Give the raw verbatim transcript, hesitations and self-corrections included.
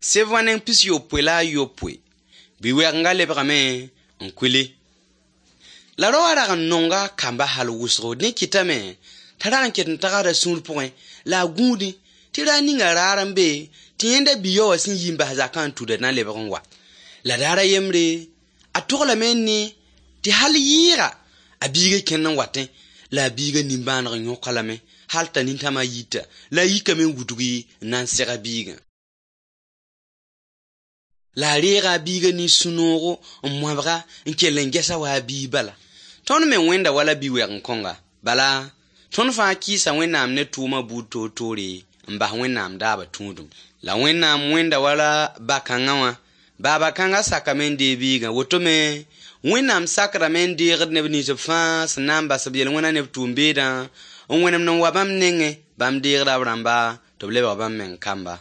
Seb wã neng pis-yopoe la a yopoe, bi-wɛgenga lebgame n kuli. La rao wã rag n nonga a kamba hal wʋsgo. Dẽ kɩtame t'a rag n ket n tagsda sũur pʋgẽ la a gũudẽ tɩ raar ninga raar n be tɩ yẽnda bi-yao wã sẽn yi n bas zakã n tuda na lebg n wa. La daar a yembre, a toglame n ne tɩ hal yɩɩga a biiga kẽnd n watẽ la a biiga nimbãaneg yõk-a lame hal t'a nintãmã yita la a yikame n wudgi n na n seg a biigã. La a reega a biiga nin-sũ-noogo n moabga n kell n ges-a wa a biig bala. Tõnd me wẽnda wala bi-wɛgen-kõnga. Bala, tõnd fãa kɩɩsa Wẽnnaam ne tʋʋma buud toor-toore n bas Wẽnnaam daabã tũudum. La Wẽnnaam wẽnda wala ba-kãngã wã. Baaba kãngã sakame n deeg biigã. Woto me, Wẽnnaam sakdame n deegd neb nins b fãa sẽn na n bas b yel-wẽna ne b tʋʋm-beedã n wẽnemd n wa bãmb nengẽ. Bãmb deegda b rãmba tɩ b lebg bãmb meng kamba.